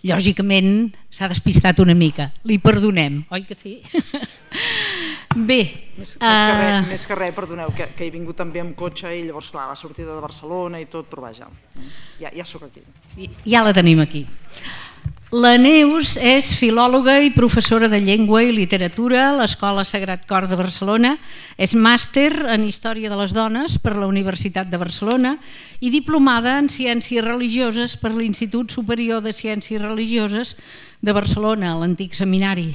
Lògicament s'ha despistat una mica, li perdonem, oi que sí? Bé. Més que res, perdoneu, que he vingut també amb cotxe i llavors, clar, la sortida de Barcelona i tot, però vaja, ja sóc aquí. Ja la tenim aquí. La Neus és filòloga i professora de llengua i literatura a l'Escola Sagrat Cor de Barcelona, és màster en Història de les Dones per la Universitat de Barcelona i diplomada en Ciències Religioses per l'Institut Superior de Ciències Religioses de Barcelona, l'antic seminari.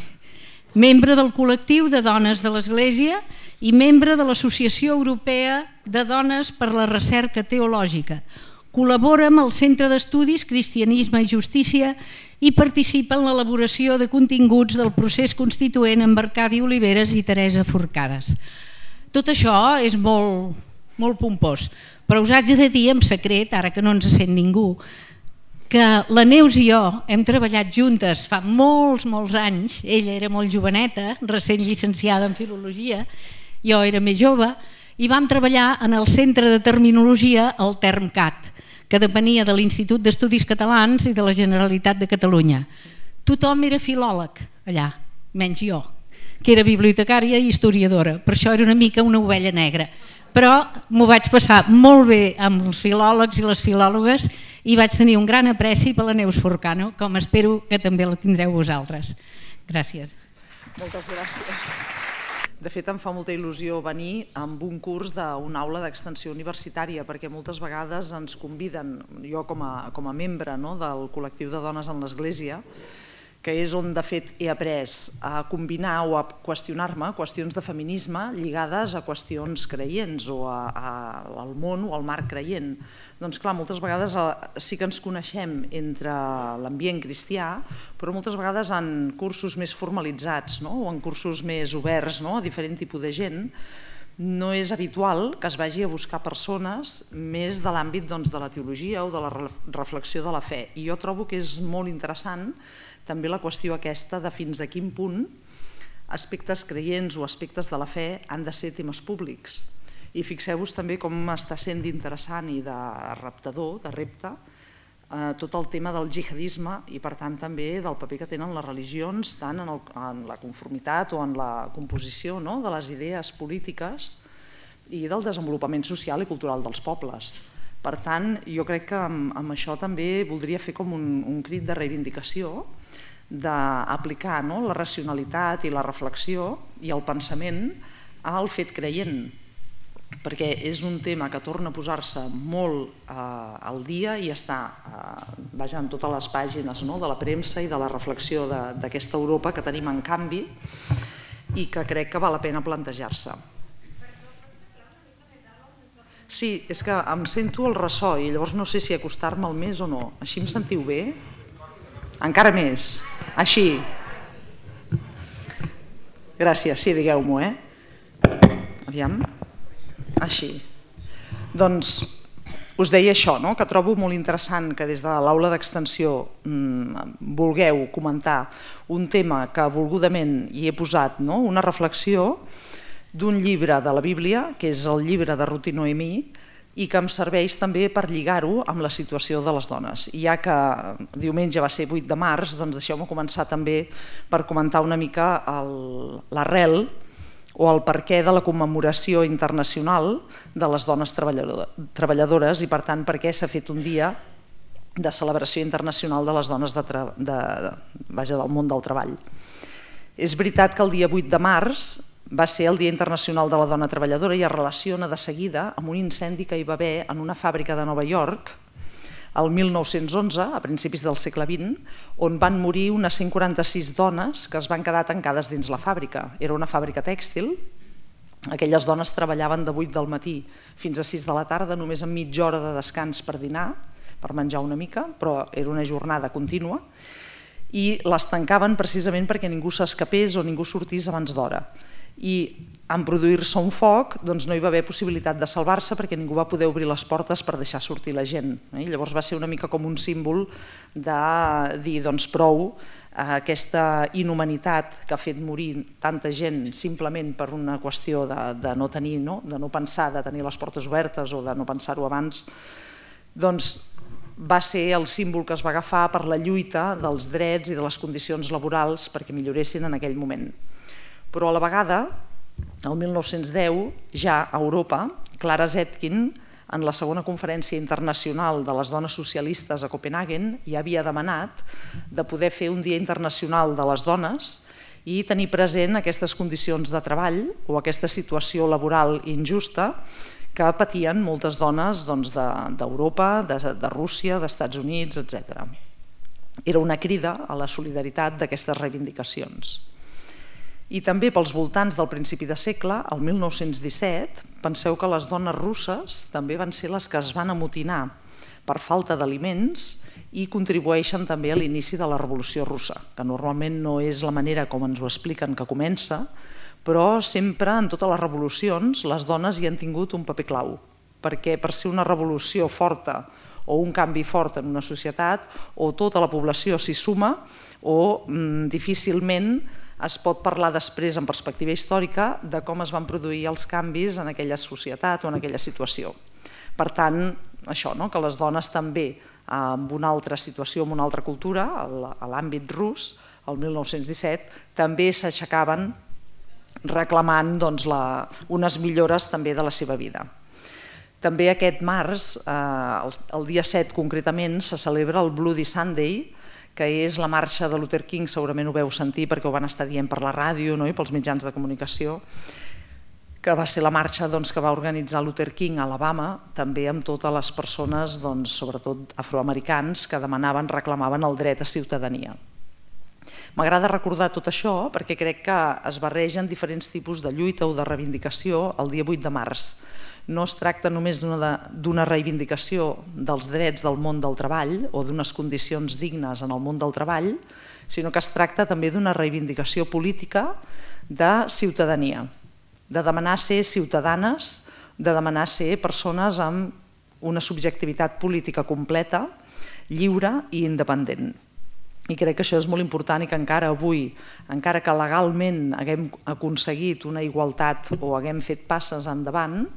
Membre del col·lectiu de dones de l'Església i membre de l'Associació Europea de Dones per la Recerca Teològica. Col·labora amb el Centre d'Estudis Cristianisme i Justícia i participa en l'elaboració de continguts del procés constituent amb Arcadi Oliveres i Teresa Forcades. Tot això és molt pompós, però us haig de dir en secret, ara que no ens sent ningú, que la Neus i jo hem treballat juntes fa molts anys, ella era molt joveneta, recent llicenciada en Filologia, jo era més jove, i vam treballar en el Centre de Terminologia, el TermCat, que depenia de l'Institut d'Estudis Catalans i de la Generalitat de Catalunya. Tothom era filòleg allà, menys jo, que era bibliotecària i historiadora, per això era una mica una ovella negra. Però m'ho vaig passar molt bé amb els filòlegs i les filòlogues i vaig tenir un gran apreci per la Neus Forcano, com espero que també la tindreu vosaltres. Gràcies. Moltes gràcies. De fet, em fa molta il·lusió venir amb un curs d'una aula d'extensió universitària, perquè moltes vegades ens conviden, jo com a membre del col·lectiu de dones en l'Església, que és on de fet he après a combinar o a qüestionar-me qüestions de feminisme lligades a qüestions creients o al món o al marc creient. Doncs clar, moltes vegades sí que ens coneixem entre l'ambient cristià, però moltes vegades en cursos més formalitzats o en cursos més oberts a diferent tipus de gent, no és habitual que es vagi a buscar persones més de l'àmbit de la teologia o de la reflexió de la fe. I jo trobo que és molt interessant també la qüestió aquesta de fins a quin punt aspectes creients o aspectes de la fe han de ser temes públics. I fixeu-vos també com està sent d'interessant i de reptador, de repte, tot el tema del jihadisme i per tant també del paper que tenen les religions tant en la conformitat o en la composició de les idees polítiques i del desenvolupament social i cultural dels pobles. Per tant, jo crec que amb això també voldria fer com un crit de reivindicació d'aplicar la racionalitat i la reflexió i el pensament al fet creient, perquè és un tema que torna a posar-se molt al dia i està en totes les pàgines de la premsa i de la reflexió d'aquesta Europa que tenim en canvi i que crec que val la pena plantejar-se. Sí, és que em sento el ressò i llavors no sé si acostar-me'l més o no. Així em sentiu bé? Encara més. Així. Gràcies, sí, digueu-m'ho, Aviam. Així. Doncs us deia això, que trobo molt interessant que des de l'aula d'extensió vulgueu comentar un tema que volgudament hi he posat una reflexió d'un llibre de la Bíblia, que és el llibre de Ruth i Noemí, i que em serveix també per lligar-ho amb la situació de les dones. I ja que diumenge va ser 8 de març, doncs deixeu-me començar també per comentar una mica l'arrel o el perquè de la commemoració internacional de les dones treballadores i per tant per què s'ha fet un dia de celebració internacional de les dones del món del treball. És veritat que el dia 8 de març va ser el Dia Internacional de la Dona Treballadora i es relaciona de seguida amb un incendi que hi va haver en una fàbrica de Nova York el 1911, a principis del segle XX, on van morir unes 146 dones que es van quedar tancades dins la fàbrica. Era una fàbrica tèxtil, aquelles dones treballaven de 8 del matí fins a 6 de la tarda, només amb mitja hora de descans per dinar, per menjar una mica, però era una jornada contínua, i les tancaven precisament perquè ningú s'escapés o ningú sortís abans d'hora. I en produir-se un foc no hi va haver possibilitat de salvar-se perquè ningú va poder obrir les portes per deixar sortir la gent. Llavors va ser una mica com un símbol de dir prou aquesta inhumanitat que ha fet morir tanta gent simplement per una qüestió de no tenir, de no pensar, de tenir les portes obertes o de no pensar-ho abans, doncs va ser el símbol que es va agafar per la lluita dels drets i de les condicions laborals perquè milloressin en aquell moment. Però a la vegada, el 1910, ja a Europa, Clara Zetkin, en la segona conferència internacional de les dones socialistes a Copenhagen, ja havia demanat de poder fer un Dia Internacional de les Dones i tenir present aquestes condicions de treball o aquesta situació laboral injusta que patien moltes dones d'Europa, de Rússia, d'Estats Units, etc. Era una crida a la solidaritat d'aquestes reivindicacions. I també pels voltants del principi de segle, el 1917, penseu que les dones russes també van ser les que es van amotinar per falta d'aliments i contribueixen també a l'inici de la Revolució Russa, que normalment no és la manera com ens ho expliquen que comença, però sempre en totes les revolucions les dones hi han tingut un paper clau, perquè per ser una revolució forta o un canvi fort en una societat, o tota la població s'hi suma o difícilment es pot parlar després en perspectiva històrica de com es van produir els canvis en aquella societat o en aquella situació. Per tant, això, que les dones també en una altra situació, en una altra cultura, a l'àmbit rus, el 1917, també s'aixecaven reclamant unes millores també de la seva vida. També aquest març, el dia 7 concretament, se celebra el Bloody Sunday, que és la marxa de Luther King, segurament ho veu sentir perquè ho van estar dient per la ràdio i pels mitjans de comunicació, que va ser la marxa que va organitzar Luther King a Alabama, també amb totes les persones, sobretot afroamericans, que demanaven, reclamaven el dret a ciutadania. M'agrada recordar tot això perquè crec que es barregen diferents tipus de lluita o de reivindicació el dia 8 de març. No es tracta només d'una reivindicació dels drets del món del treball o d'unes condicions dignes en el món del treball, sinó que es tracta també d'una reivindicació política de ciutadania, de demanar ser ciutadanes, de demanar ser persones amb una subjectivitat política completa, lliure i independent. I crec que això és molt important i que encara avui, encara que legalment haguem aconseguit una igualtat o haguem fet passes endavant,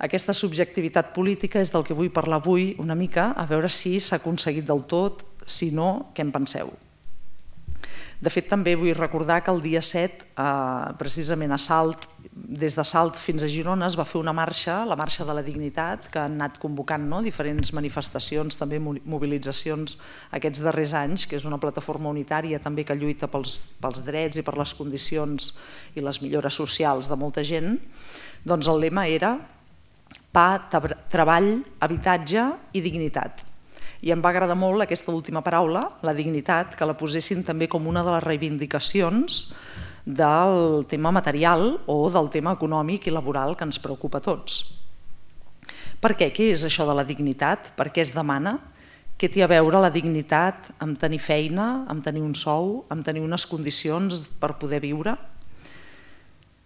aquesta subjectivitat política és del que vull parlar avui una mica, a veure si s'ha aconseguit del tot, si no, què en penseu? De fet, també vull recordar que el dia 7, precisament a Salt, des de Salt fins a Girona, es va fer una marxa, la Marxa de la Dignitat, que han anat convocant diferents manifestacions, també mobilitzacions aquests darrers anys, que és una plataforma unitària també que lluita pels drets i per les condicions i les millores socials de molta gent. Doncs el lema era pa, treball, habitatge i dignitat. I em va agradar molt aquesta última paraula, la dignitat, que la posessin també com una de les reivindicacions del tema material o del tema econòmic i laboral que ens preocupa a tots. Per què? Què és això de la dignitat? Per què es demana? Què té a veure la dignitat amb tenir feina, amb tenir un sou, amb tenir unes condicions per poder viure?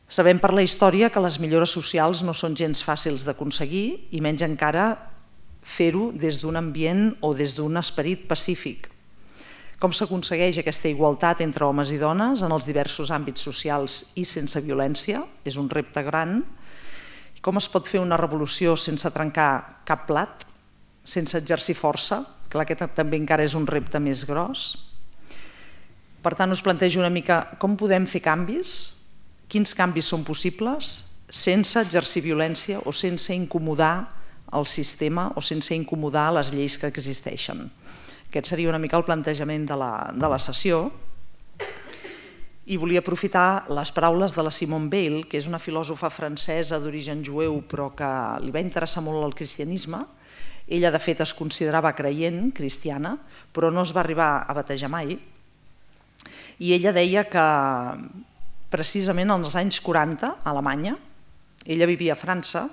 Sabem per la història que les millores socials no són gens fàcils d'aconseguir i menys encara fer-ho des d'un ambient o des d'un esperit pacífic. Com s'aconsegueix aquesta igualtat entre homes i dones en els diversos àmbits socials i sense violència? És un repte gran. Com es pot fer una revolució sense trencar cap plat, sense exercir força? Clar que també encara és un repte més gros. Per tant, us plantejo una mica com podem fer canvis, quins canvis són possibles sense exercir violència o sense incomodar el sistema o sense incomodar les lleis que existeixen. Aquest seria una mica el plantejament de la sessió. I volia aprofitar les paraules de la Simone Weil, que és una filòsofa francesa d'origen jueu però que li va interessar molt el cristianisme. Ella, de fet, es considerava creient, cristiana, però no es va arribar a batejar mai. I ella deia que precisament als anys 40, a Alemanya, ella vivia a França,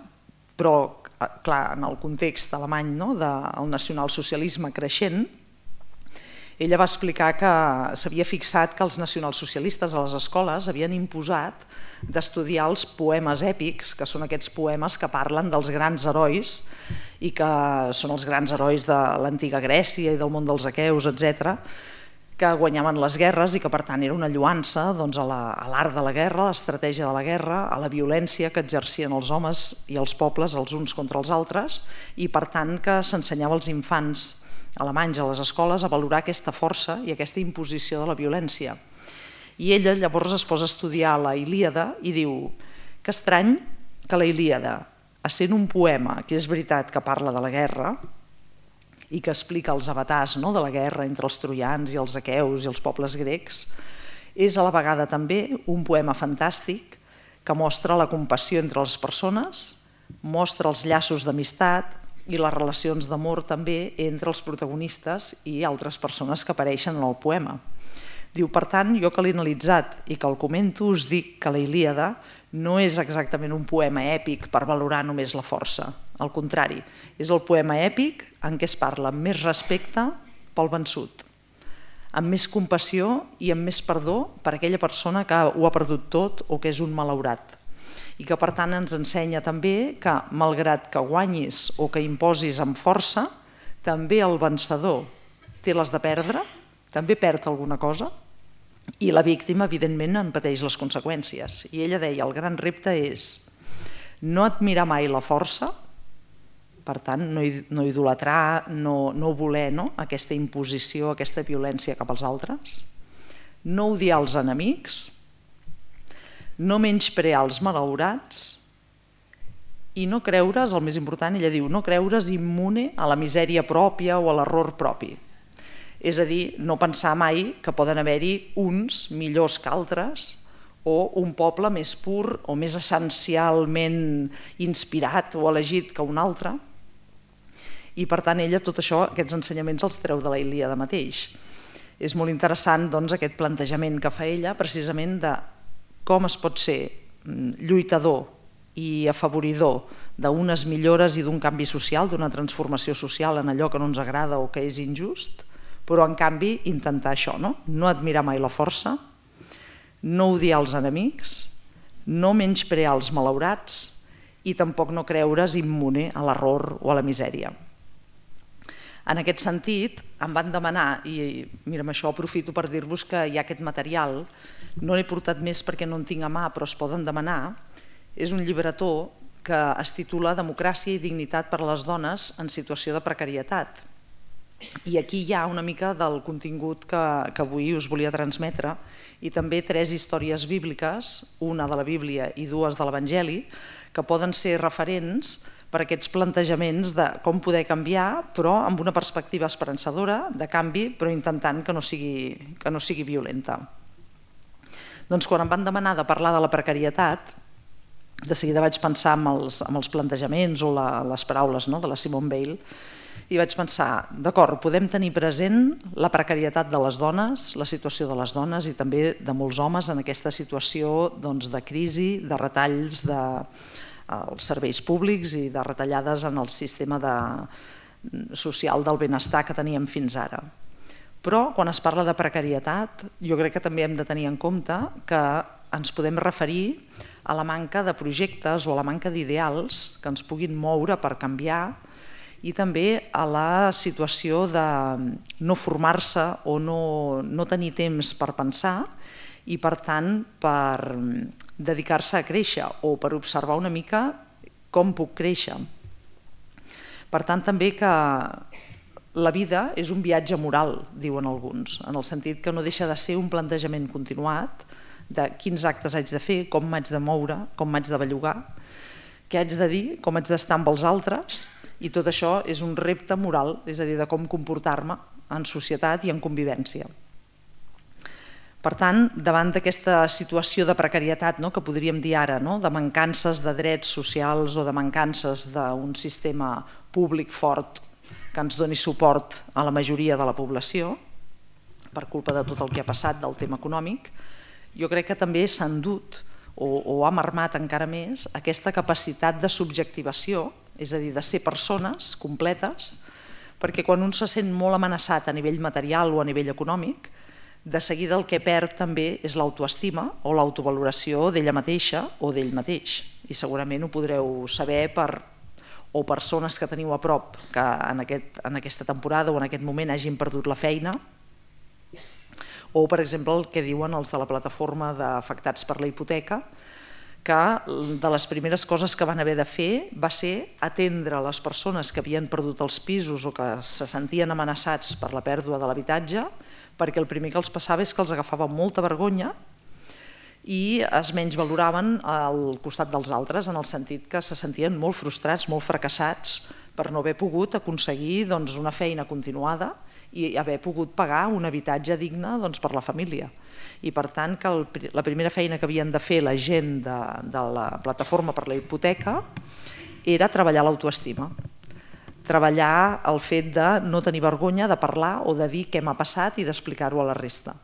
però clar, en el context alemany del nacionalsocialisme creixent, ella va explicar que s'havia fixat que els nacionalsocialistes a les escoles havien imposat d'estudiar els poemes èpics, que són aquests poemes que parlen dels grans herois i que són els grans herois de l'antiga Grècia i del món dels aqueus, etc., que guanyaven les guerres i que per tant era una lloança a l'art de la guerra, a l'estratègia de la guerra, a la violència que exercien els homes i els pobles els uns contra els altres, i per tant que s'ensenyava als infants alemanys a les escoles a valorar aquesta força i aquesta imposició de la violència. I ella llavors es posa a estudiar la Ilíada i diu que estrany que la Ilíada, essent un poema que és veritat que parla de la guerra i que explica els avatars de la guerra entre els troians i els aqueus i els pobles grecs, és a la vegada també un poema fantàstic que mostra la compassió entre les persones, mostra els llaços d'amistat i les relacions d'amor també entre els protagonistes i altres persones que apareixen en el poema. Diu, per tant, jo que l'he analitzat i que el comento, us dic que la Ilíada no és exactament un poema èpic per valorar només la força. Al contrari, és el poema èpic en què es parla amb més respecte pel vençut, amb més compassió i amb més perdó per aquella persona que ho ha perdut tot o que és un malaurat. I que per tant ens ensenya també que malgrat que guanyis o que imposis amb força, també el vencedor té les de perdre, també perd alguna cosa, i la víctima evidentment en pateix les conseqüències. I ella deia, el gran repte és no admirar mai la força, per tant no idolatrar, no voler aquesta imposició, aquesta violència cap als altres, no odiar els enemics, no menysprear els malaurats i no creure's, el més important, ella diu, no creure's immune a la misèria pròpia o a l'error propi. És a dir, no pensar mai que poden haver-hi uns millors que altres o un poble més pur o més essencialment inspirat o elegit que un altre. I per tant ella tot això, aquests ensenyaments els treu de la Ilíada mateix. És molt interessant aquest plantejament que fa ella precisament de com es pot ser lluitador i afavoridor d'unes millores i d'un canvi social, d'una transformació social en allò que no ens agrada o que és injust, però en canvi intentar això, no admirar mai la força, no odiar els enemics, no menysprear els malaurats i tampoc no creure's immune a l'error o a la misèria. En aquest sentit, em van demanar, i mira, amb això aprofito per dir-vos que hi ha aquest material, no l'he portat més perquè no en tinc a mà, però es poden demanar, és un llibretó que es titula Democràcia i dignitat per a les dones en situació de precarietat. I aquí hi ha una mica del contingut que avui us volia transmetre i també 3 històries bíbliques, una de la Bíblia i 2 de l'Evangeli, que poden ser referents per aquests plantejaments de com poder canviar, però amb una perspectiva esperançadora de canvi, però intentant que no sigui violenta. Doncs quan em van demanar de parlar de la precarietat, de seguida vaig pensar en els plantejaments o les paraules de la Simone Weil i vaig pensar, d'acord, podem tenir present la precarietat de les dones, la situació de les dones i també de molts homes en aquesta situació de crisi, de retalls als serveis públics i de retallades en el sistema social del benestar que teníem fins ara. Però quan es parla de precarietat, jo crec que també hem de tenir en compte que ens podem referir a la manca de projectes o a la manca d'ideals que ens puguin moure per canviar i també a la situació de no formar-se o no tenir temps per pensar i per tant per dedicar-se a créixer o per observar una mica com puc créixer. Per tant també que la vida és un viatge moral, diuen alguns, en el sentit que no deixa de ser un plantejament continuat de quins actes haig de fer, com m'haig de moure, com m'haig de bellugar, què haig de dir, com haig d'estar amb els altres, i tot això és un repte moral, és a dir, de com comportar-me en societat i en convivència. Per tant, davant d'aquesta situació de precarietat que podríem dir ara, de mancances de drets socials o de mancances d'un sistema públic fort que ens doni suport a la majoria de la població, per culpa de tot el que ha passat del tema econòmic, jo crec que també s'ha endut o ha marmat encara més aquesta capacitat de subjectivació, és a dir, de ser persones completes, perquè quan un se sent molt amenaçat a nivell material o a nivell econòmic, de seguida el que perd també és l'autoestima o l'autovaloració d'ella mateixa o d'ell mateix. I segurament ho podreu saber o persones que teniu a prop que en aquesta temporada o en aquest moment hagin perdut la feina O, per exemple, el que diuen els de la plataforma d'afectats per la hipoteca, que de les primeres coses que van haver de fer va ser atendre les persones que havien perdut els pisos o que se sentien amenaçats per la pèrdua de l'habitatge, perquè el primer que els passava és que els agafava molta vergonya i es menys valoraven al costat dels altres, en el sentit que se sentien molt frustrats, molt fracassats per no haver pogut aconseguir una feina continuada i haver pogut pagar un habitatge digne per la família. I per tant, que la primera feina que havien de fer la gent de la plataforma per la hipoteca era treballar l'autoestima, treballar el fet de no tenir vergonya de parlar o de dir què m'ha passat i d'explicar-ho a la resta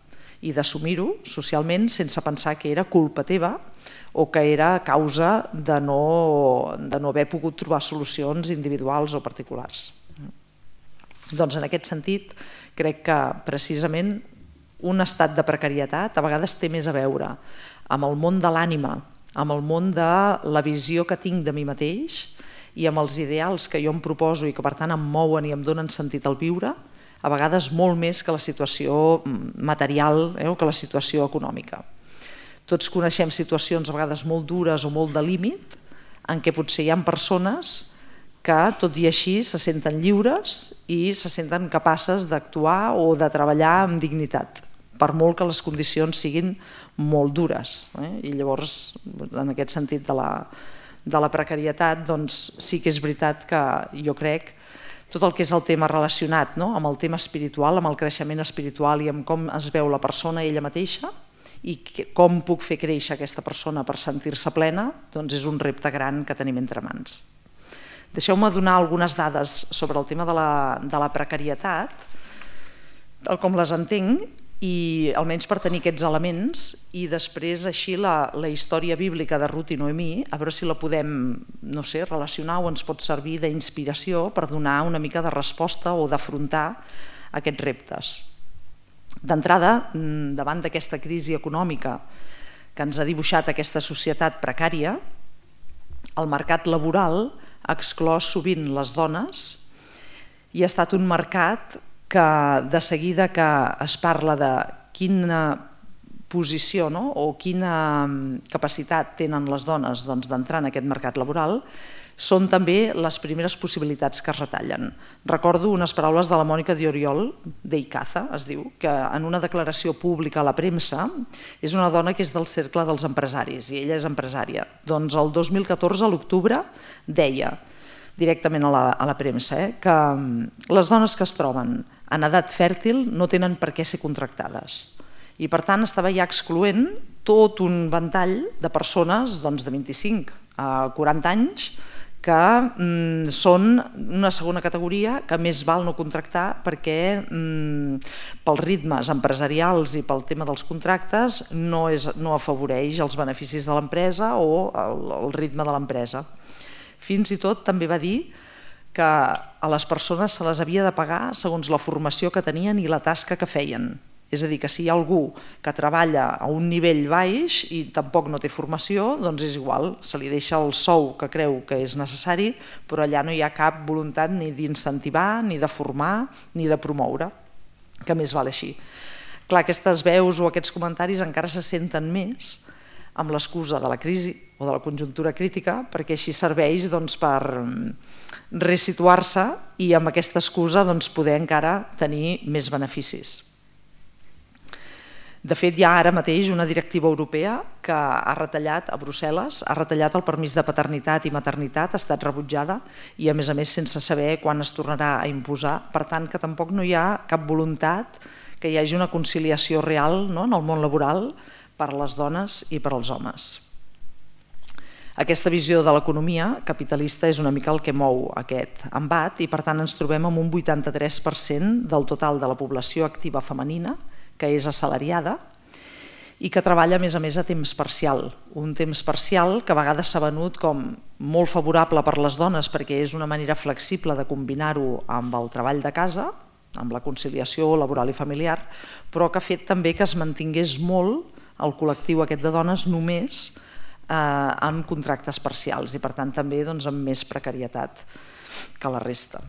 i d'assumir-ho socialment sense pensar que era culpa teva o que era causa de no haver pogut trobar solucions individuals o particulars. Doncs en aquest sentit crec que precisament un estat de precarietat a vegades té més a veure amb el món de l'ànima, amb el món de la visió que tinc de mi mateix i amb els ideals que jo em proposo i que per tant em mouen i em donen sentit al viure, a vegades molt més que la situació material o que la situació econòmica. Tots coneixem situacions a vegades molt dures o molt de límit en què potser hi ha persones que tot i així se senten lliures i se senten capaces d'actuar o de treballar amb dignitat, per molt que les condicions siguin molt dures. I llavors, en aquest sentit de la precarietat, sí que és veritat que jo crec tot el que és el tema relacionat amb el tema espiritual, amb el creixement espiritual i amb com es veu la persona ella mateixa i com puc fer créixer aquesta persona per sentir-se plena, és un repte gran que tenim entre mans. Deixeu-me donar algunes dades sobre el tema de la precarietat, tal com les entenc, i almenys per tenir aquests elements, i després així la història bíblica de Rut i Noemí, a veure si la podem relacionar o ens pot servir d'inspiració per donar una mica de resposta o d'afrontar aquests reptes. D'entrada, davant d'aquesta crisi econòmica que ens ha dibuixat aquesta societat precària, el mercat laboral ha exclòs sovint les dones i ha estat un mercat que de seguida que es parla de quina posició o quina capacitat tenen les dones d'entrar en aquest mercat laboral, són també les primeres possibilitats que es retallen. Recordo unes paraules de la Mònica Dioriol, d'Icaza, es diu, que en una declaració pública a la premsa és una dona que és del cercle dels empresaris i ella és empresària. Doncs el 2014, a l'octubre, deia directament a la premsa que les dones que es troben en edat fèrtil no tenen per què ser contractades. I per tant estava ja excloent tot un ventall de persones de 25 a 40 anys que són una segona categoria que més val no contractar perquè pels ritmes empresarials i pel tema dels contractes no afavoreix els beneficis de l'empresa o el ritme de l'empresa. Fins i tot també va dir que a les persones se les havia de pagar segons la formació que tenien i la tasca que feien. És a dir, que si hi ha algú que treballa a un nivell baix i tampoc no té formació, doncs és igual, se li deixa el sou que creu que és necessari, però allà no hi ha cap voluntat ni d'incentivar, ni de formar, ni de promoure, que més val així. Clar, aquestes veus o aquests comentaris encara se senten més amb l'excusa de la crisi o de la conjuntura crítica, perquè així serveix per resituar-se i amb aquesta excusa poder encara tenir més beneficis. De fet, hi ha ara mateix una directiva europea que ha retallat a Brussel·les, ha retallat el permís de paternitat i maternitat, ha estat rebutjada i a més sense saber quan es tornarà a imposar. Per tant, que tampoc no hi ha cap voluntat que hi hagi una conciliació real en el món laboral per a les dones i per als homes. Aquesta visió de l'economia capitalista és una mica el que mou aquest embat i per tant ens trobem amb un 83% del total de la població activa femenina que és assalariada i que treballa a més a temps parcial. Un temps parcial que a vegades s'ha venut com molt favorable per les dones perquè és una manera flexible de combinar-ho amb el treball de casa, amb la conciliació laboral i familiar, però que ha fet també que es mantingués molt el col·lectiu aquest de dones només amb contractes parcials i per tant també amb més precarietat que la resta.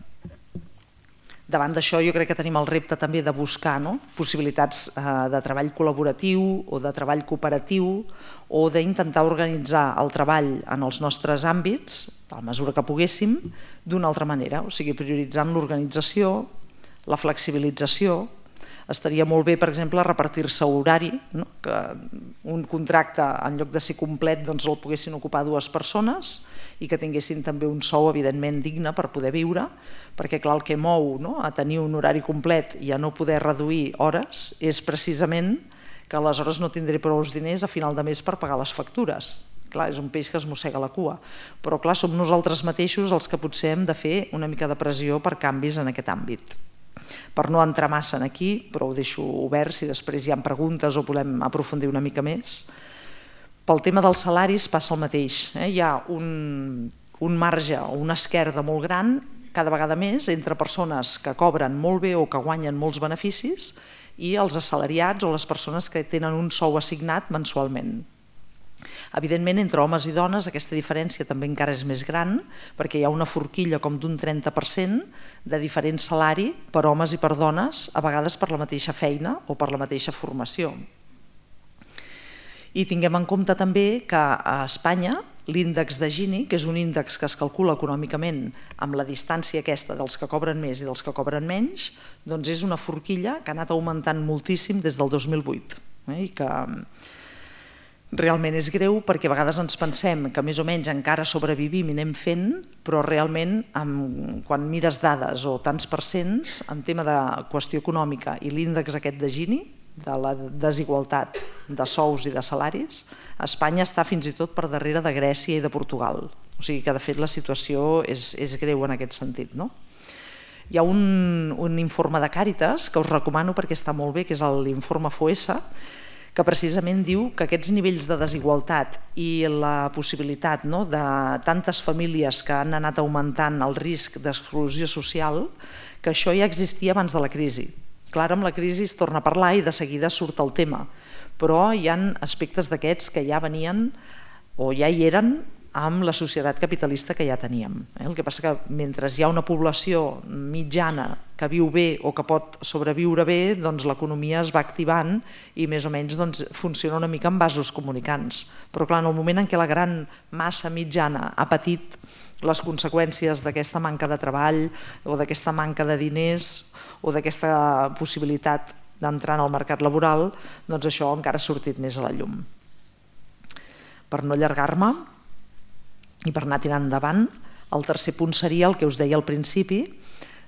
Davant d'això jo crec que tenim el repte també de buscar possibilitats de treball col·laboratiu o de treball cooperatiu o d'intentar organitzar el treball en els nostres àmbits, a la mesura que poguéssim, d'una altra manera, o sigui, prioritzant l'organització, la flexibilització. Estaria molt bé, per exemple, repartir-se horari, que un contracte, en lloc de ser complet, el poguessin ocupar 2 persones i que tinguessin també un sou, evidentment, digne per poder viure, perquè, clar, el que mou a tenir un horari complet i a no poder reduir hores és precisament que aleshores no tindré prou diners a final de mes per pagar les factures. Clar, és un peix que es mossega la cua. Però, clar, som nosaltres mateixos els que potser hem de fer una mica de pressió per canvis en aquest àmbit. Per no entrar massa aquí, però ho deixo obert si després hi ha preguntes o volem aprofundir una mica més. Pel tema dels salaris passa el mateix. Hi ha un marge o una esquerda molt gran, cada vegada més, entre persones que cobren molt bé o que guanyen molts beneficis i els assalariats o les persones que tenen un sou assignat mensualment. Evidentment, entre homes i dones aquesta diferència també encara és més gran perquè hi ha una forquilla com d'un 30% de diferent salari per homes i per dones, a vegades per la mateixa feina o per la mateixa formació. I tinguem en compte també que a Espanya l'índex de Gini, que és un índex que es calcula econòmicament amb la distància aquesta dels que cobren més i dels que cobren menys, doncs és una forquilla que ha anat augmentant moltíssim des del 2008 i que realment és greu perquè a vegades ens pensem que més o menys encara sobrevivim i anem fent, però realment quan mires dades o tants percents en tema de qüestió econòmica i l'índex aquest de Gini, de la desigualtat de sous i de salaris, Espanya està fins i tot per darrere de Grècia i de Portugal. O sigui que de fet la situació és greu en aquest sentit. Hi ha un informe de Càritas que us recomano perquè està molt bé, que és l'informe FOESA, que precisament diu que aquests nivells de desigualtat i la possibilitat de tantes famílies que han anat augmentant el risc d'exclusió social, que això ja existia abans de la crisi. Clar, amb la crisi es torna a parlar i de seguida surt el tema, però hi ha aspectes d'aquests que ja venien o ja hi eren amb la societat capitalista que ja teníem. El que passa que mentre hi ha una població mitjana que viu bé o que pot sobreviure bé, doncs l'economia es va activant i més o menys funciona una mica amb vasos comunicants. Però clar, en el moment en què la gran massa mitjana ha patit les conseqüències d'aquesta manca de treball o d'aquesta manca de diners o d'aquesta possibilitat d'entrar en el mercat laboral, doncs això encara ha sortit més a la llum. Per no allargar-me i per anar tirant endavant, el tercer punt seria el que us deia al principi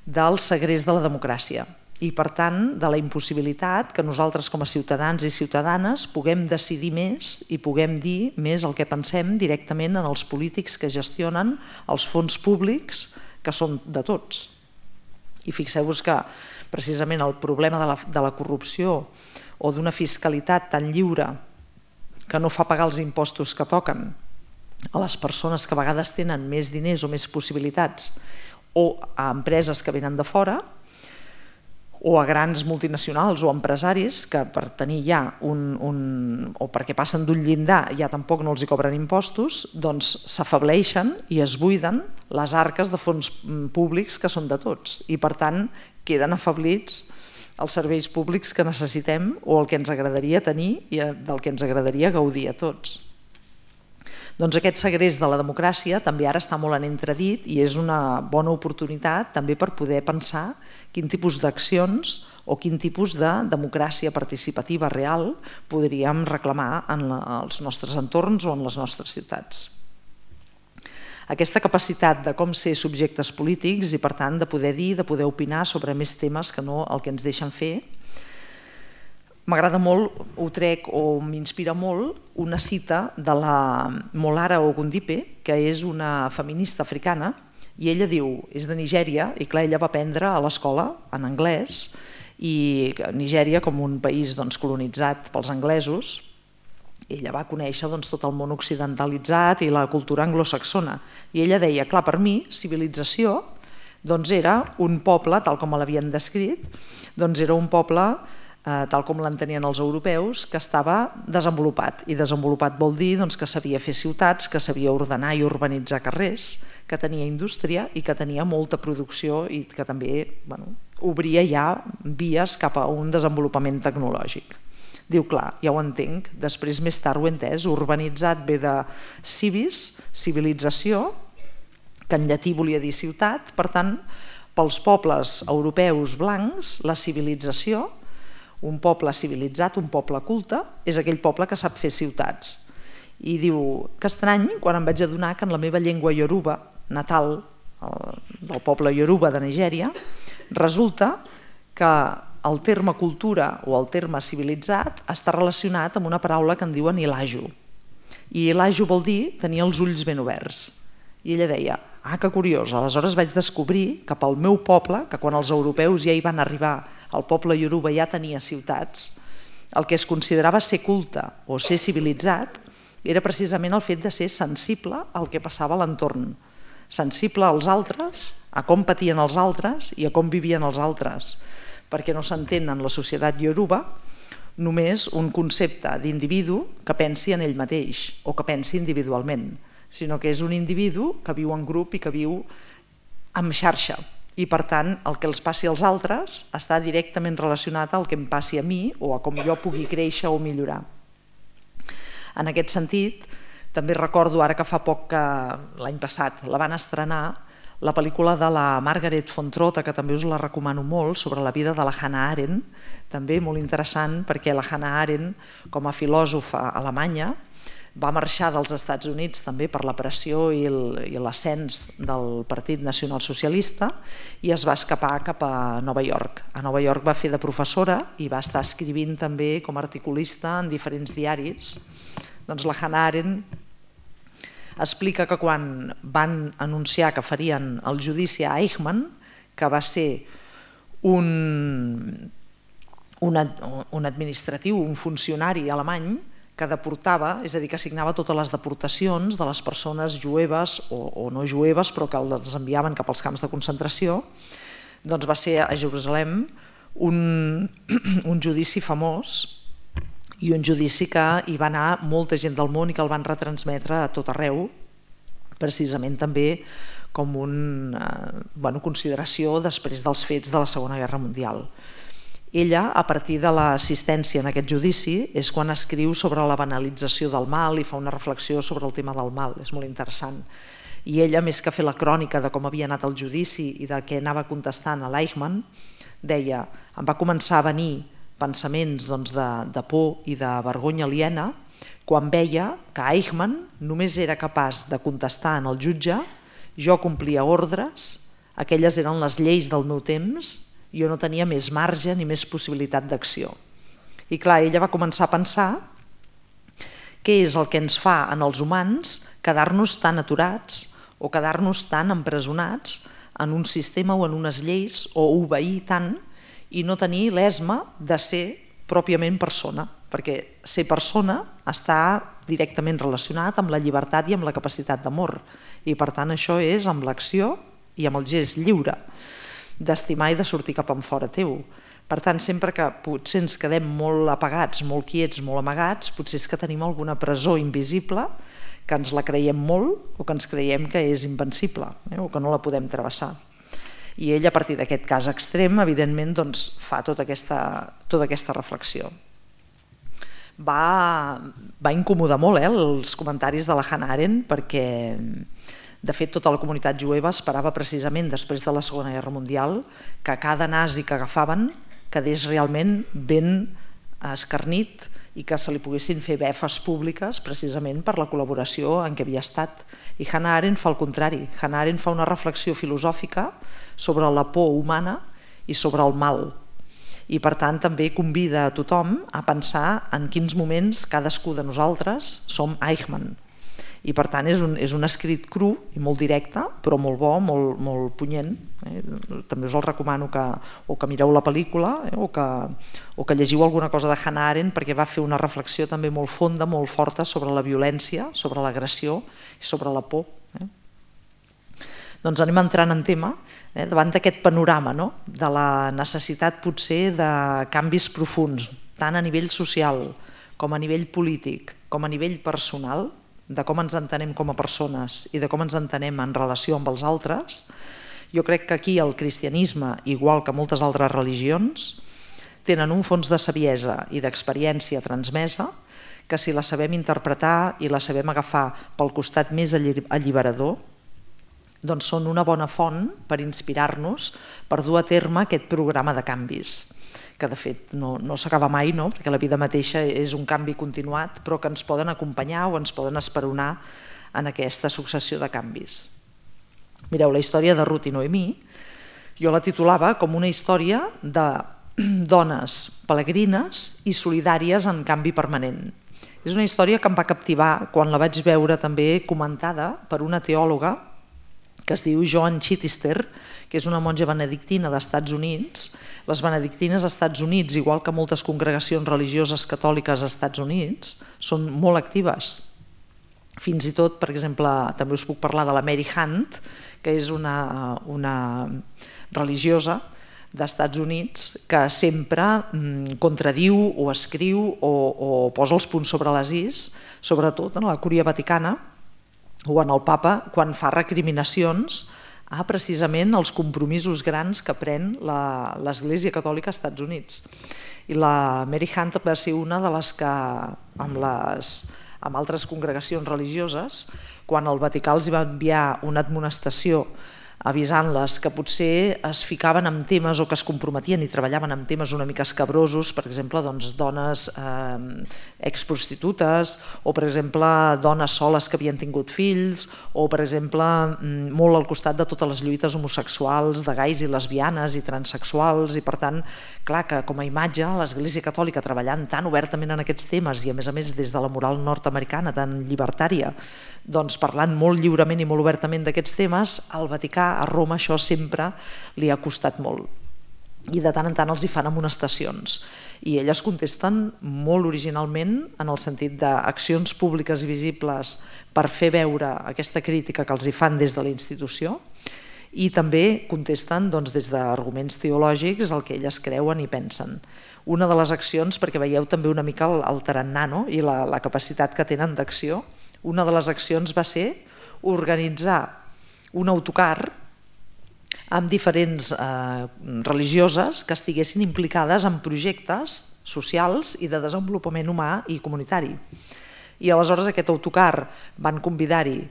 del segrest de la democràcia i per tant de la impossibilitat que nosaltres com a ciutadans i ciutadanes puguem decidir més i puguem dir més el que pensem directament en els polítics que gestionen els fons públics que són de tots. I fixeu-vos que precisament el problema de la corrupció o d'una fiscalitat tan lliure que no fa pagar els impostos que toquen a les persones que a vegades tenen més diners o més possibilitats o a empreses que venen de fora o a grans multinacionals o empresaris que per tenir ja o perquè passen d'un llindar ja tampoc no els hi cobren impostos, doncs s'afebleixen i es buiden les arques de fons públics que són de tots i per tant queden afeblits els serveis públics que necessitem o el que ens agradaria tenir i del que ens agradaria gaudir a tots. Doncs aquest segrest de la democràcia també ara està molt en entredit i és una bona oportunitat també per poder pensar quin tipus d'accions o quin tipus de democràcia participativa real podríem reclamar en els nostres entorns o en les nostres ciutats. Aquesta capacitat de com ser subjectes polítics i per tant de poder dir, de poder opinar sobre més temes que no el que ens deixen fer. M'agrada molt, ho trec o m'inspira molt, una cita de la Molara Ogundipe, que és una feminista africana, i ella diu, és de Nigèria, i clar, ella va aprendre a l'escola en anglès, i Nigèria, com un país colonitzat pels anglesos, ella va conèixer tot el món occidentalitzat i la cultura anglosaxona. I ella deia, clar, per mi, civilització era un poble, tal com l'havien descrit, era un poble tal com l'entenien els europeus, que estava desenvolupat. I desenvolupat vol dir que sabia fer ciutats, que sabia ordenar i urbanitzar carrers, que tenia indústria i que tenia molta producció i que també obria ja vies cap a un desenvolupament tecnològic. Diu, clar, ja ho entenc, després més tard ho he entès, urbanitzat ve de civis, civilització, que en llatí volia dir ciutat, per tant, pels pobles europeus blancs, la civilització, un poble civilitzat, un poble culte, és aquell poble que sap fer ciutats. I diu, que estrany, quan em vaig adonar que en la meva llengua ioruba, natal del poble ioruba de Nigèria, resulta que el terme cultura o el terme civilitzat està relacionat amb una paraula que en diuen ilaju. I ilaju vol dir tenir els ulls ben oberts. I ella deia, que curiós, aleshores vaig descobrir que pel meu poble, que quan els europeus ja hi van arribar, el poble ioruba ja tenia ciutats, el que es considerava ser culte o ser civilitzat era precisament el fet de ser sensible al que passava a l'entorn, sensible als altres, a com patien els altres i a com vivien els altres, perquè no s'entén en la societat ioruba només un concepte d'individu que pensi en ell mateix o que pensi individualment, sinó que és un individu que viu en grup i que viu en xarxa. I per tant, el que els passi als altres està directament relacionat al que em passi a mi o a com jo pugui créixer o millorar. En aquest sentit, també recordo ara que fa poc, que l'any passat la van estrenar, la pel·lícula de la Margaret von Trotta, que també us la recomano molt, sobre la vida de la Hannah Arendt, també molt interessant perquè la Hannah Arendt, com a filòsofa alemanya, va marxar dels Estats Units també per la pressió i l'ascens del Partit Nacionalsocialista i es va escapar cap a Nova York. A Nova York va fer de professora i va estar escrivint també com a articulista en diferents diaris. Doncs la Hannah Arendt explica que quan van anunciar que farien el judici a Eichmann, que va ser un administratiu, un funcionari alemany que deportava, és a dir, que assignava totes les deportacions de les persones jueves o no jueves, però que les enviaven cap als camps de concentració, doncs va ser a Jerusalem un judici famós i un judici que hi va anar molta gent del món i que el van retransmetre a tot arreu, precisament també com una consideració després dels fets de la Segona Guerra Mundial. Ella, a partir de l'assistència en aquest judici, és quan escriu sobre la banalització del mal i fa una reflexió sobre el tema del mal, és molt interessant. I ella, més que fer la crònica de com havia anat el judici i de què anava contestant a l'Eichmann, deia, em va començar a venir pensaments de por i de vergonya aliena quan veia que Eichmann només era capaç de contestar en el jutge, jo complia ordres, aquelles eren les lleis del meu temps, jo no tenia més marge ni més possibilitat d'acció. I clar, ella va començar a pensar què és el que ens fa en els humans quedar-nos tan aturats o quedar-nos tan empresonats en un sistema o en unes lleis o obeir tant i no tenir l'esma de ser pròpiament persona, perquè ser persona està directament relacionat amb la llibertat i amb la capacitat d'amor i per tant això és amb l'acció i amb el gest lliure d'estimar i de sortir cap enfora teu. Per tant, sempre que potser ens quedem molt apagats, molt quiets, molt amagats, potser és que tenim alguna presó invisible que ens la creiem molt o que ens creiem que és invencible o que no la podem travessar. I ell, a partir d'aquest cas extrem, evidentment, fa tota aquesta reflexió. Va incomodar molt els comentaris de la Hannah Arendt perquè, de fet, tota la comunitat jueva esperava precisament després de la Segona Guerra Mundial que cada nazi que agafaven quedés realment ben escarnit i que se li poguessin fer befes públiques precisament per la col·laboració en què havia estat. I Hannah Arendt fa el contrari. Hannah Arendt fa una reflexió filosòfica sobre la por humana i sobre el mal. I per tant també convida a tothom a pensar en quins moments cadascú de nosaltres som Eichmann. I per tant és un escrit cru i molt directe, però molt bo, molt punyent. També us el recomano que mireu la pel·lícula o que llegiu alguna cosa de Hannah Arendt perquè va fer una reflexió també molt fonda, molt forta sobre la violència, sobre l'agressió i sobre la por. Doncs anem entrant en tema davant d'aquest panorama de la necessitat potser de canvis profunds, tant a nivell social com a nivell polític, com a nivell personal, de com ens entenem com a persones i de com ens entenem en relació amb els altres. Jo crec que aquí el cristianisme, igual que moltes altres religions, tenen un fons de saviesa i d'experiència transmesa que si la sabem interpretar i la sabem agafar pel costat més alliberador, doncs són una bona font per inspirar-nos per dur a terme aquest programa de canvis, que de fet no s'acaba mai, perquè la vida mateixa és un canvi continuat, però que ens poden acompanyar o ens poden esperonar en aquesta successió de canvis. Mireu, la història de Ruth i Noemí, jo la titulava com una història de dones pelegrines i solidàries en canvi permanent. És una història que em va captivar quan la vaig veure també comentada per una teòloga que es diu Joan Chittister, que és una monja benedictina dels Estats Units. Les benedictines als Estats Units, igual que moltes congregacions religioses catòliques als Estats Units, són molt actives. Fins i tot, per exemple, també us puc parlar de la Mary Hunt, que és una religiosa dels Estats Units que sempre contradiu o escriu o posa els punts sobre les is, sobretot en la Cúria Vaticana o en el Papa, quan fa recriminacions a precisament els compromisos grans que pren l'Església Catòlica als Estats Units. I la Mary Hunt va ser una de les que, amb altres congregacions religioses, quan el Vaticà els va enviar una admonestació avisant-les que potser es ficaven en temes o que es comprometien i treballaven en temes una mica escabrosos, per exemple, dones exprostitutes o, per exemple, dones soles que havien tingut fills o, per exemple, molt al costat de totes les lluites homosexuals, de gais i lesbianes i transsexuals, i per tant, clar que com a imatge l'Església Catòlica treballant tan obertament en aquests temes i a més des de la moral nord-americana tan llibertària, doncs parlant molt lliurement i molt obertament d'aquests temes, al Vaticà, a Roma, això sempre li ha costat molt. I de tant en tant els hi fan amonestacions. I elles contesten molt originalment en el sentit d'accions públiques i visibles per fer veure aquesta crítica que els hi fan des de la institució i també contesten des d'arguments teològics el que elles creuen i pensen. Una de les accions, perquè veieu també una mica el tarannà i la capacitat que tenen d'acció, una de les accions va ser organitzar un autocar amb diferents religioses que estiguessin implicades en projectes socials i de desenvolupament humà i comunitari. I aleshores aquest autocar van convidar-hi